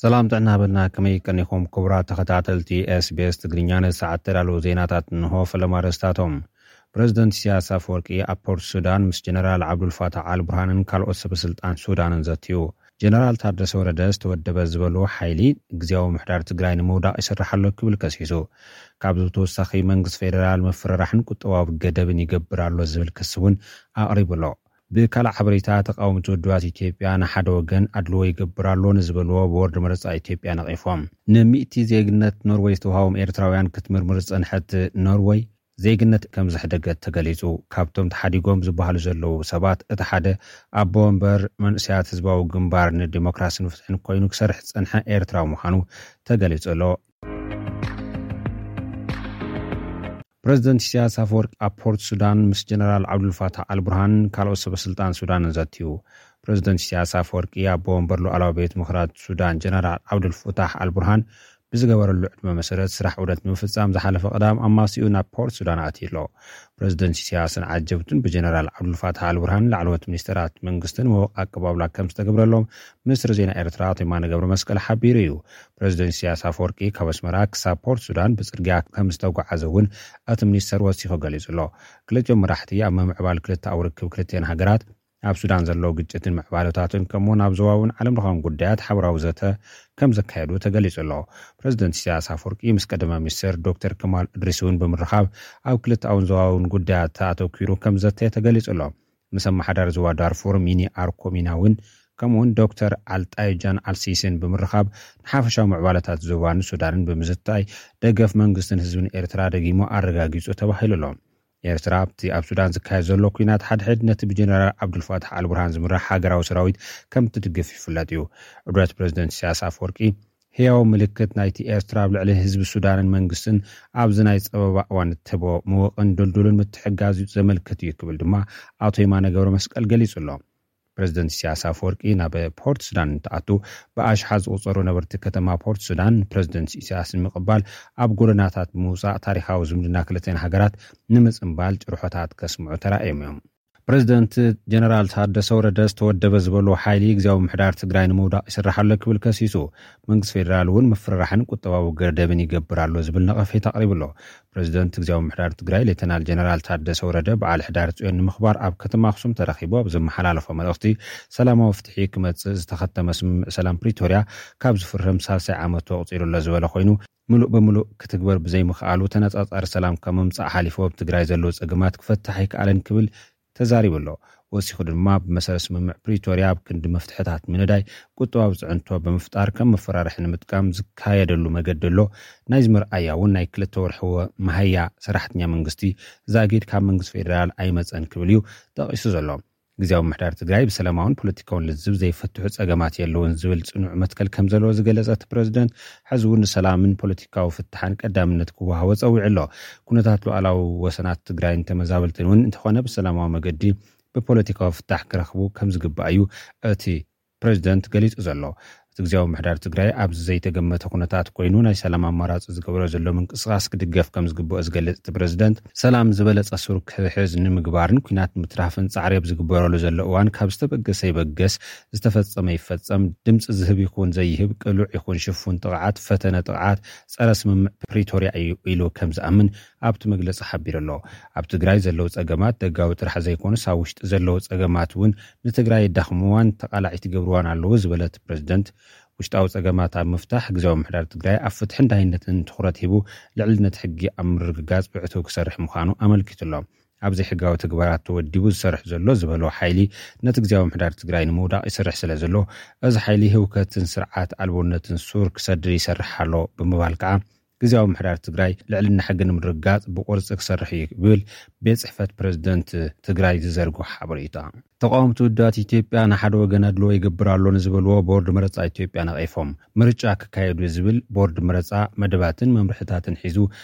ሰላም ጥዕና በልና። ከመይ ቀኒኹም ክቡራት ተኸታተልቲ SBS ትግርኛ? ንሰዓት ተዳለዉ ዜናታት እንሆ። ፈለማ ኣርእስታቶም። ፕረዚደንት ኢሳያስ ኣፈወርቂ ኣብ ፖርት ሱዳን ምስ ጀነራል ዓብዱልፋታሕ ኣልቡርሃንን ካልኦት ሰበስልጣን ሱዳንን ዘትዩ። ጀነራል ታደሰ ወረደ ዝተወደበ ዝበልዎ ሓይሊ ግዝያዊ ምሕዳር ትግራይ ንምውዳቕ ይሰርሕ ኣሎ ክብል ከሲሱ። ካብዚ ብተወሳኺ መንግስቲ ፌደራል ምፍርራሕን ቁጠባዊ ገደብን ይገብር ኣሎ ዝብል ክሲ እውን ኣቕሪቡ ኣሎ። ብካልእ ሓበሬታ፣ ተቃወምቲ ውድባት ኢትዮጵያ ንሓደ ወገን ኣድልዎ ይገብር ኣሎ ንዝበልዎ ቦርድ መረጻ ኢትዮጵያ ነቒፎም። ንሚእቲ ዜግነት ኖርወይ ዝተውሃቦም ኤርትራውያን ክትምርምር ዝጸንሐት ኖርወይ፣ ዜግነት ከም ዘሕደገት ተገሊጹ። ካብቶም ተሓዲጎም ዝበሃሉ ዘለዉ ሰባት እቲ ሓደ ኣቦ ወንበር መንእሰያት ህዝባዊ ግንባር ንዲሞክራስን ፍትሕን ኮይኑ ክሰርሕ ዝጸንሐ ኤርትራዊ ምዃኑ ተገሊጹ ኣሎ። ፕረዚደንት ኢሳያስ ኣፈወርቂ ኣብ ፖርት ሱዳን ምስ ጀነራል ዓብዱልፋታሕ ኣልቡርሃን ካልኦት ሰበስልጣን ሱዳንን ዘትዩ። ፕረዚደንት ኢሳያስ ኣፈወርቂ ኣቦ ወንበር ሉዓላዊ ቤት ምኽሪ ሱዳን ጀነራል ዓብዱልፋታሕ ኣልቡርሃን ብዝገበረሉ ዕድመ መሰረት ስራሕ ዑደት ንምፍጻም ዝሓለፈ ቀዳም ኣማሲኡ ናብ ፖርት ሱዳን ኣትዩ ኣሎ። ፕረዚደንት ኢሳያስን ዓጀብቱን ብጀነራል ዓብዱልፋታሕ ኣልቡርሃን ላዕለዎት ሚኒስተራት መንግስትን ምዉቕ ኣቀባብላ ከም ዝተገብረሎም ሚኒስትሪ ዜና ኤርትራ ኣቶ የማነ ገብረ መስቀል ሓቢሩ እዩ። ፕረዚደንት ኢሳያስ ኣፈወርቂ ካብ ኣስመራ ክሳብ ፖርት ሱዳን ብጽርግያ ከም ዝተጓዓዘ እውን እቲ ሚኒስተር ወሲኹ ገሊጹ ኣሎ። ክልቲኦም መራሕቲ ኣብ ምምዕባል ክልተኣዊ ርክብ ክልቲአን ሃገራት፣ ኣብ ሱዳን ዘለዉ ግጭትን ምዕባለታትን፣ ከምኡውን ኣብ ዞባውን ዓለም ለኻውን ጉዳያት ሓበራዊ ዘተ ከም ዘካየዱ ተገሊጹ ኣሎ። ፕረዚደንት ኢሳያስ ኣፈወርቂ ምስ ቀዳማይ ሚኒስተር ዶክተር ከማል እድሪስ እውን ብምርኻብ ኣብ ክልተኣውን ዞባውን ጉዳያት ኣተኲሩ ከም ዘተየ ተገሊጹ ኣሎ። ምስ ኣመሓዳሪ ዞባ ዳርፉር ሚኒ ኣርኮሚና እውን፣ ከምኡውን ዶክተር ኣልጣይጃን ኣልሲሲን ብምርኻብ ንሓፈሻዊ ምዕባለታት ዞባን ሱዳንን ብምዝታይ ደገፍ መንግስትን ህዝብን ኤርትራ ደጊሙ ኣረጋጊጹ ተባሂሉ ኣሎ። ኤርትራ ኣብቲ ኣብ ሱዳን ዝካየድ ዘሎ ኲናት ሓድሕድ ነቲ ብጀነራል ዓብዱልፋታሕ ኣልቡርሃን ዝምራሕ ሃገራዊ ሰራዊት ከም ትድግፍ ይፍለጥ እዩ። ዑደት ፕረዚደንት ኢሳያስ ኣፈወርቂ ህያው ምልክት ናይቲ ኤርትራ ኣብ ልዕሊ ህዝቢ ሱዳንን መንግስትን ኣብዚ ናይ ጸበባ እዋን እትህቦ ምውቕን ድልዱልን ምትሕግጋዝ እዩ ዘመልክት እዩ ክብል ድማ ኣቶ የማነ ገብረ መስቀል ገሊጹ ኣሎ። ፕረዚደንት ኢሳያስ ኣፈወርቂ ናብ ፖርት ሱዳን እንትኣቱ ብኣሽሓት ዝቑጸሩ ነበርቲ ከተማ ፖርት ሱዳን ፕረዚደንት ኢሳያስ ንምቕባል ኣብ ጎደናታት ብምውጻእ ታሪኻዊ ዝምድና ክልተን ሃገራት ንምጽንባል ጭርሖታት ከስምዑ ተራእዮም እዮም። ፕረዚደንት ጀነራል ታደሰ ወረደ ዝተወደበ ዝበልዎ ሓይሊ ግዝያዊ ምሕዳር ትግራይ ንምውዳቕ ይስራሕ ኣሎ ክብል ከሲሱ። መንግስቲ ፌደራል እውን ምፍርራሕን ቁጠባዊ ገደብን ይገብር ኣሎ ዝብል ነቐፌታ ኣቕሪቡ ኣሎ። ፕረዚደንት ግዝያዊ ምሕዳር ትግራይ ሌተናል ጀነራል ታደሰ ወረደ በዓል ሕዳር ጽዮን ንምኽባር ኣብ ከተማ ኣኽሱም ተረኺቡ ኣብ ዘመሓላለፎ መልእኽቲ፣ ሰላማዊ ፍትሒ ክመጽእ ዝተኸተመ ስምምዕ ሰላም ፕሪቶርያ ካብ ዝፍርም ሳልሳይ ዓመቱ ኣቑጺሩ ኣሎ ዝበለ ኮይኑ፣ ምሉእ ብምሉእ ክትግበር ብዘይምኽኣሉ ተነጻጻሪ ሰላም ካብ ምምጻእ ሓሊፉ ኣብ ትግራይ ዘለዉ ጸገማት ክፈትሕ ኣይከኣለን ክብል ተዛሪቡ ኣሎ። ወሲኹ ድማ ብመሰረት ስምምዕ ፕሪቶርያ ኣብ ክንዲ መፍትሕታት ምንዳይ ቁጠባዊ ጽዕንቶ ብምፍጣር ከም መፈራርሒ ንምጥቃም ዝካየደሉ መገዲ ኣሎ። ናይዚ መርኣያ እውን ናይ ክልተ ወርሒ ወ-፣ መሃያ ሰራሕተኛ መንግስቲ ዛጊድ ካብ መንግስቲ ፌደራል ኣይመጸን ክብል እዩ ጠቒሱ ዘሎ። ግዝያዊ ምሕዳር ትግራይ ብሰላማውን ፖለቲካውን ልዝብ ዘይፈትሑ ጸገማት የለውን ዝብል ጽኑዕ መትከል ከም ዘለዎ ዝገለጸ እቲ ፕረዚደንት፣ ሕዚ እውን ንሰላምን ፖለቲካዊ ፍታሕን ቀዳምነት ክወሃቦ ጸዊዑ ኣሎ። ኩነታት ሉዓላዊ ወሰናት ትግራይን ተመዛበልትን እውን እንተኾነ ብሰላማዊ መገዲ ብፖለቲካዊ ፍታሕ ክረኽቡ ከም ዝግባእ እዩ እቲ ፕረዚደንት ገሊጹ ዘሎ። እቲ ግዝያዊ ምሕዳር ትግራይ ኣብዚ ዘይተገመተ ኩነታት ኮይኑ ናይ ሰላም ኣማራጺ ዝገብሮ ዘሎ ምንቅስቓስ ክድገፍ ከም ዝግብኦ ዝገልጽ እቲ ፕረዚደንት፣ ሰላም ዝበለጸ ሱር ክሕዝ ንምግባርን ኲናት ንምትራፍን ጻዕሪ ኣብ ዝግበረሉ ዘሎ እዋን ካብ ዝተበገሰ ይበገስ፣ ዝተፈጸመ ይፈጸም፣ ድምጺ ዝህብ ይኹን ዘይህብ፣ ቅሉዕ ይኹን ሽፉን ጥቕዓት፣ ፈተነ ጥቕዓት ጸረ ስምምዕ ፕሪቶርያ እዩ ኢሉ ከም ዝኣምን ኣብቲ መግለጺ ሓቢሩ ኣሎ። ኣብ ትግራይ ዘለዉ ጸገማት ደጋዊ ጥራሕ ዘይኮኑስ ኣብ ውሽጢ ዘለዉ ጸገማት እውን ንትግራይ የዳኽምዋን ተቓላዒት ይገብርዋን ኣለዉ ዝበለ እቲ ፕረዚደንት፣ ውሽጣዊ ጸገማት ኣብ ምፍታሕ ግዝያዊ ምሕዳር ትግራይ ኣብ ፍትሕን ዳይነትን ትኹረት ሂቡ ልዕልነት ሕጊ ኣብ ምርግጋጽ ብዕቱብ ክሰርሕ ምዃኑ ኣመልኪቱ ኣሎ። ኣብ ዘይሕጋዊ ተግባራት ተወዲቡ ዝሰርሕ ዘሎ ዝበሎ ሓይሊ ነቲ ግዝያዊ ምሕዳር ትግራይ ንምውዳቕ ይሰርሕ ስለ ዘሎ፣ እዚ ሓይሊ ህውከትን ስርዓት ኣልቦነትን ሱር ክሰድድ ይሰርሕ ኣሎ ብምባል ከዓ ግዝያዊ ምሕዳር ትግራይ ልዕልና ሕጊ ንምርግጋጽ ብቁርጺ ክሰርሕ እዩ ክብል ቤት ጽሕፈት ፕረዚደንት ትግራይ ዝዘርግሖ ሓበሬታ። ተቃወምቲ ውድባት ኢትዮጵያ ንሓደ ወገን ኣድልዎ ይገብር ኣሎ ንዝበልዎ ቦርድ መረጻ ኢትዮጵያ ነቒፎም። ምርጫ ክካየድ እዩ ዝብል ቦርድ መረጻ መደባትን መምርሕታትን ሒዙ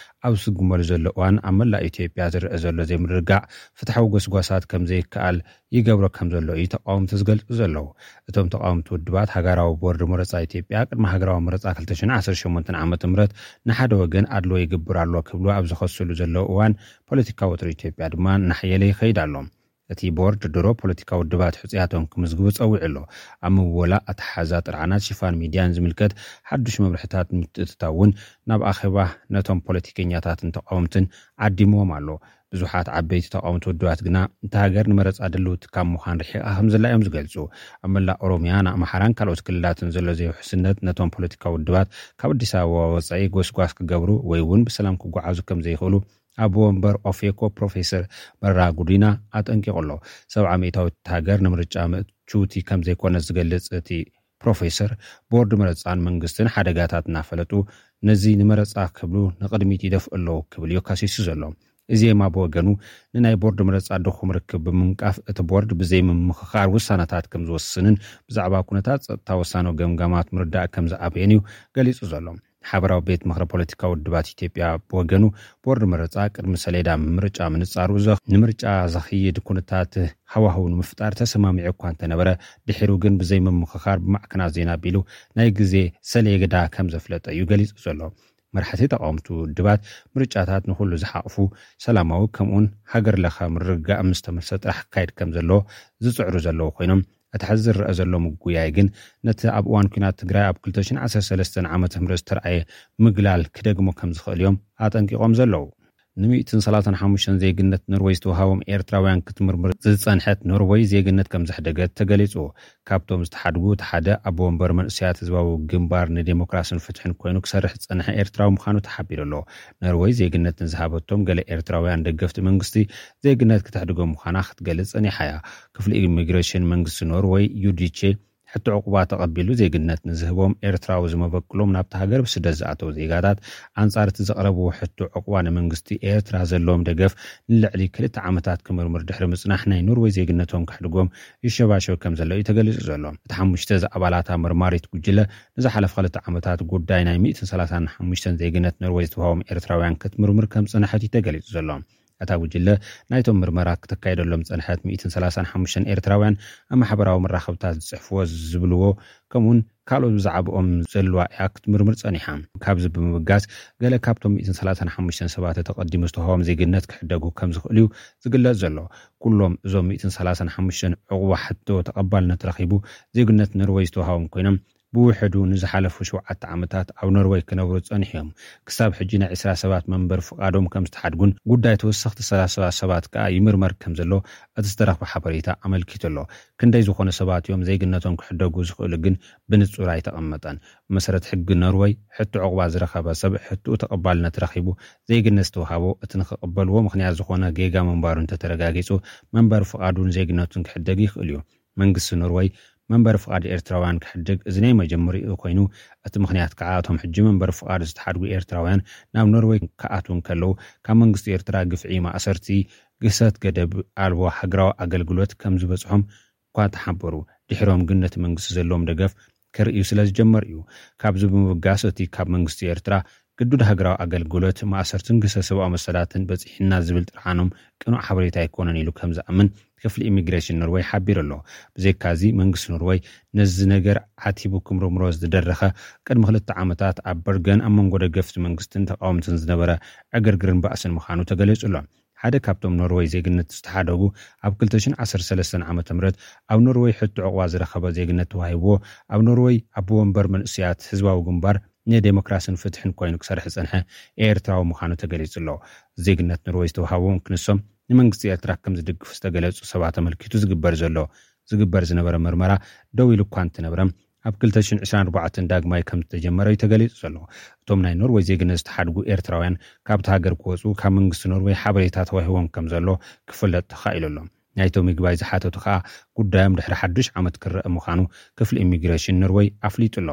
ኣብ ዝስጉመሉ ዘሎ እዋን ኣብ መላእ ኢትዮጵያ ዝረአ ዘሎ ዘይምርግጋዕ ፍትሓዊ ጎስጓሳት ከም ዘይከኣል ይገብሮ ከም ዘሎ እዩ ተቃወምቲ ዝገልጹ ዘለዉ። እቶም ተቃወምቲ ውድባት ሃገራዊ ቦርድ መረጻ ኢትዮጵያ ቅድሚ ሃገራዊ መረጻ ክልተ ሽሕን ዓሰርተ ሸሞንተን ዓመተ ምህረት ንሓደ ወገን ኣድልዎ ይግብር ኣሎ ክብሉ ኣብ ዝኸስሉ ዘለዉ እዋን ፖለቲካዊ ወጥሪ ኢትዮጵያ ድማ እናሓየለ ይኸይድ ኣሎ። እቲ ቦርድ ድሮ ፖለቲካዊ ውድባት ሕጹያቶም ክምዝግቡ ጸዊዑ ኣሎ። ኣብ ምወላ ኣተሓዛ ጥርዓናት ሽፋን ሚድያን ዝምልከት ሓዱሽ መብርሕታት ንምትእትታው እውን ናብ ኣኼባ ነቶም ፖለቲከኛታትን ተቃወምትን ዓዲምዎም ኣሎ። ብዙሓት ዓበይቲ ተቃወምቲ ውድባት ግና እታ ሃገር ንመረጻ ድልውቲ ካብ ምዃን ርሒቓ ከም ዘላ እዮም ዝገልጹ። ኣብ መላእ ኦሮምያ፣ ንኣምሓራን ካልኦት ክልላትን ዘሎ ዘይውሕስነት ነቶም ፖለቲካዊ ውድባት ካብ ኣዲስ ኣበባ ወጻኢ ጎስጓስ ክገብሩ ወይ እውን ብሰላም ክጓዓዙ ከም ዘይኽእሉ ኣቦ ወንበር ኦፌኮ ፕሮፌሰር መረራ ጉዲና ኣጠንቂቑ ኣሎ። ሰብዓ ሚእታዊት ሃገር ንምርጫ ምእችውቲ ከም ዘይኮነ ዝገልጽ እቲ ፕሮፌሰር፣ ቦርድ መረጻን መንግስትን ሓደጋታት እናፈለጡ ነዚ ንመረጻ ክብሉ ንቕድሚት ይደፍኡ ኣለዉ ክብል እዩ ከሲሱ ዘሎ። እዜማ ብወገኑ ንናይ ቦርድ መረጻ ድኹም ርክብ ብምንቃፍ እቲ ቦርድ ብዘይምምኽኻር ውሳነታት ከም ዝወስንን ብዛዕባ ኩነታት ጸጥታ ወሳኖ ገምጋማት ምርዳእ ከም ዝኣበየን እዩ ገሊጹ ዘሎ። ሓበራዊ ቤት ምኽሪ ፖለቲካዊ ውድባት ኢትዮጵያ ብወገኑ፣ ቦርድ መረጻ ቅድሚ ሰሌዳ ምርጫ ምንጻሩ፣ ዘ- ንምርጫ ዘኽይድ ኩነታት ሃዋህው ንምፍጣር ተሰማሚዑ እኳ እንተነበረ፣ ድሒሩ ግን ብዘይምምኽኻር ብማዕከናት ዜና ኣቢሉ ናይ ግዜ ሰሌዳ ከም ዘፍለጠ እዩ ገሊጹ ዘሎ። መራሕቲ ተቃወምቲ ውድባት፣ ምርጫታት ንኹሉ ዝሓቕፉ፣ ሰላማዊ፣ ከምኡውን ሃገር ለኸ ምርግጋእ ምስ ተመልሰ ጥራሕ ክካየድ ከም ዘለዎ ዝጽዕሩ ዘለዉ ኮይኖም፣ እቲ ሕዚ ዝረኣ ዘሎ ምጉያይ ግን ነቲ ኣብ እዋን ኲናት ትግራይ ኣብ ክልተ ሽሕን ዓሰርተ ሰለስተን ዓመተ ምህረት ዝተረኣየ ምግላል ክደግሞ ከም ዝኽእል እዮም ኣጠንቂቖም ዘለዉ። ን ሚእትን ሰላሳን ሓሙሽተን ዜግነት ኖርወይ ዝተዋሃቦም ኤርትራውያን ክትምርምር ዝጸንሐት ኖርወይ፣ ዜግነት ከም ዘሕደገት ተገሊጹ። ካብቶም ዝተሓድጉ እቲ ሓደ ኣቦ ወንበር መንእሰያት ህዝባዊ ግንባር ንዴሞክራስን ፍትሕን ኮይኑ ክሰርሕ ዝጸንሐ ኤርትራዊ ምዃኑ ተሓቢሩ ኣሎ። ኖርወይ ዜግነት ንዝሃበቶም ገለ ኤርትራውያን ደገፍቲ መንግስቲ፣ ዜግነት ክተሕድጎም ምዃና ክትገልጽ ጸኒሓ እያ። ክፍሊ ኢሚግሬሽን መንግስቲ ኖርወይ፣ ዩ ዲ ቼ፣ ሕቶ ዕቑባ ተቐቢሉ ዜግነት ንዝህቦም ኤርትራዊ ዝመበቅሎም ናብቲ ሃገር ብስደት ዝኣተው ዜጋታት ኣንጻር እቲ ዘቕረብዎ ሕቶ ዕቑባ ንመንግስቲ ኤርትራ ዘለዎም ደገፍ ንልዕሊ ክልተ ዓመታት ክምርምር ድሕሪ ምጽናሕ ናይ ኖርወይ ዜግነቶም ክሕድጎም ይሸባሸብ ከም ዘሎ እዩ ተገሊጹ ዘሎ። እቲ ሓሙሽተ ዝኣባላታ መርማሪት ጉጅለ ንዝሓለፈ ክልተ ዓመታት ጉዳይ ናይ ሚእትን ሰላሳን ሓሙሽተን ዜግነት ኖርወይ ዝተዋሃቦም ኤርትራውያን ክትምርምር ከም ዝጸንሐት እዩ ተገሊጹ ዘሎ። እታ ጉጅለ ናይቶም ምርመራ ክተካየደሎም ዝጸንሐት ሚእትን ሰላሳን ሓሙሽተን ኤርትራውያን ኣብ ማሕበራዊ መራኸብታት ዝጽሕፍዎ ዝብልዎ ከምኡውን ካልኦት ብዛዕባኦም ዘለዋ እያ ክትምርምር ጸኒሓ። ካብዚ ብምብጋስ ገለ ካብቶም ሚእትን ሰላሳን ሓሙሽተን ሰባት ተቐዲሙ ዝተዋህቦም ዜግነት ክሕደጉ ከም ዝኽእሉ እዩ ዝግለጽ ዘሎ። ኩሎም እዞም ሚእትን ሰላሳን ሓሙሽተን ዕቑባ ሕቶ ተቐባልነት ረኺቡ ዜግነት ኖርወይ ዝተዋህቦም ኮይኖም ብውሕዱ ንዝሓለፉ ሸውዓተ ዓመታት ኣብ ኖርወይ ክነብሩ ጸኒሖም። ክሳብ ሕጂ ናይ ዕስራ ሰባት መንበር ፍቓዶም ከም ዝተሓድጉን ጉዳይ ተወሰኽቲ ሰላሳ ሰባት ከኣ ይምርመር ከም ዘሎ እቲ ዝተረኽበ ሓበሬታ ኣመልኪቱ ኣሎ። ክንደይ ዝኾነ ሰባት እዮም ዜግነቶም ክሕደጉ ዝኽእሉ ግን ብንጹር ኣይተቐመጠን። ብመሰረት ሕጊ ኖርወይ፣ ሕቶ ዕቑባ ዝረኸበ ሰብ ሕቶኡ ተቐባልነት ረኺቡ ዜግነት ዝተውሃቦ እቲ ንኽቕበልዎ ምኽንያት ዝኾነ ጌጋ ምንባሩ እንተተረጋጊጹ መንበር ፍቓዱን ዜግነቱን ክሕደግ ይኽእል እዩ። መንግስቲ ኖርወይ መንበሪ ፍቓድ ኤርትራውያን ክሕድግ እዚ ናይ መጀመሪኡ ኮይኑ፣ እቲ ምኽንያት ከዓ እቶም ሕጂ መንበሪ ፍቓድ ዝተሓድጉ ኤርትራውያን ናብ ኖርወይ ክኣትዉ እንከለዉ ካብ መንግስቲ ኤርትራ ግፍዒ፣ ማእሰርቲ፣ ግህሰት፣ ገደብ ኣልቦ ሃገራዊ ኣገልግሎት ከም ዝበጽሖም እኳ ተሓበሩ። ድሕሮም ግን ነቲ መንግስቲ ዘለዎም ደገፍ ከርእዩ ስለ ዝጀመሩ እዩ። ካብዚ ብምብጋስ እቲ ካብ መንግስቲ ኤርትራ ግዱድ ሃገራዊ ኣገልግሎት፣ ማእሰርትን ግህሰት ሰብኣዊ መሰላትን በጺሕና ዝብል ጥርዓኖም ቅኑዕ ሓበሬታ ኣይኮነን ኢሉ ከም ዝኣምን ክፍሊ ኢሚግሬሽን ኖርወይ ሓቢሩ ኣሎ። ብዘይካዚ መንግስቲ ኖርወይ ነዚ ነገር ዓቲቡ ክምርምሮ ዝደረኸ ቅድሚ ክልተ ዓመታት ኣብ በርገን ኣብ መንጎ ደገፍቲ መንግስትን ተቃወምትን ዝነበረ ዕግርግርን ባእስን ምዃኑ ተገሊጹ ኣሎ። ሓደ ካብቶም ኖርወይ ዜግነት ዝተሓደጉ ኣብ ክልተ ሽሕን ዓሰርተ ሰለስተን ዓመተ ምህረት ኣብ ኖርወይ ሕቶ ዕቑባ ዝረኸበ ዜግነት ተዋሂብዎ ኣብ ኖርወይ ኣቦ ወንበር መንእሰያት ህዝባዊ ግንባር ንዴሞክራስን ፍትሕን ኮይኑ ክሰርሕ ዝጸንሐ ኤርትራዊ ምዃኑ ተገሊጹ ኣሎ። ዜግነት ኖርወይ ዝተዋሃቦም ክንሶም ንመንግስቲ ኤርትራ ከም ዝድግፉ ዝተገለጹ ሰባት ኣመልኪቱ ዝግበር ዘሎ ዝግበር ዝነበረ ምርመራ ደው ኢሉ እኳ እንትነብረ ኣብ ክልተ ሽሕን ዕስራን ኣርባዕተን ዳግማይ ከም ዝተጀመረ እዩ ተገሊጹ ዘሎ። እቶም ናይ ኖርወይ ዜግነት ዝተሓድጉ ኤርትራውያን ካብቲ ሃገር ክወጹ ካብ መንግስቲ ኖርወይ ሓበሬታ ተዋሂቦም ከም ዘሎ ክፍለጥ ተኻኢሉ ኣሎ። ናይቶም ይግባይ ዝሓተቱ ከኣ ጉዳዮም ድሕሪ ሓዱሽ ዓመት ክረአ ምዃኑ ክፍሊ ኢሚግሬሽን ኖርወይ ኣፍሊጡ ኣሎ።